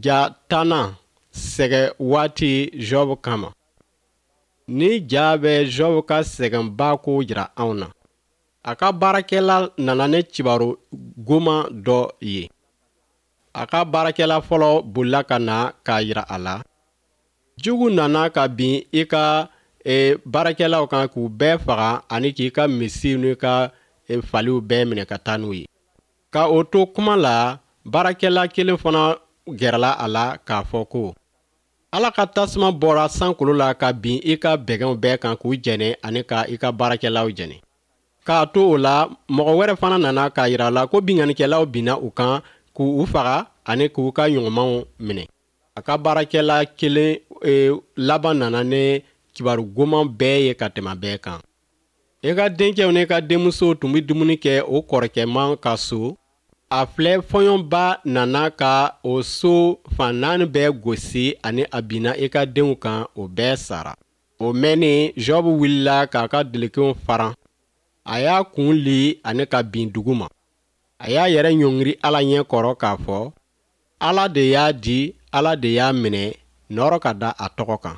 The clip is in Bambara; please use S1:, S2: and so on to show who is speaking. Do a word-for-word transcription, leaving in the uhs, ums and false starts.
S1: Ja tannan sɛgɛ waati Job kama. Ni ja bɛ Job ka sɛgɛnba ko jira anw na. A ka baarakɛla nana ni kibaru goman dɔ ye. A ka baarakɛla fɔlɔ bolila ka na k'a jira a la. Jugu nana ka bin i ka e, baarakɛlaw kan k'u bɛɛ faga ani k'i ka misiw n'i ka e, faliw bɛɛ minɛ ka taa n'u ye. Ka o to kuma la, baarakɛla kelen fana gɛrɛla a la k'a fɔ ko ala ka tasuma bɔra sankolo la ka bin i ka bɛgɛnw bɛɛ kan k'u jɛnɛ ani ka i ka baarakɛlaw jɛnɛ. K'a to o la, mɔgɔ wɛrɛ fana nana k'a jira a la ko binkannikɛlaw binna u kan k'u faga ani k'u ka ɲɔgɔnmaw minɛ. A ka baarakɛla kelen e, laban nana ni kibaru goman bɛɛ ye ka tɛmɛ bɛɛ kan. I ka dencɛw n'i ka denmusow tun bɛ dumuni kɛ o kɔrɔkɛman ka so. A filɛ, fɔɲɔba nana ka o so fan naani bɛɛ gosi ani a binna i ka denw kan, o bɛɛ sara. O mɛnni, Job wulila k'a ka delikiw faran. A y'a kun li ani ka bin dugu ma. A y'a yɛrɛ ɲɔngiri Ala ɲɛ kɔrɔ k'a fɔ, Ala de y'a di, Ala de y'a minɛ, nɔrɔ ka da a tɔgɔ kan.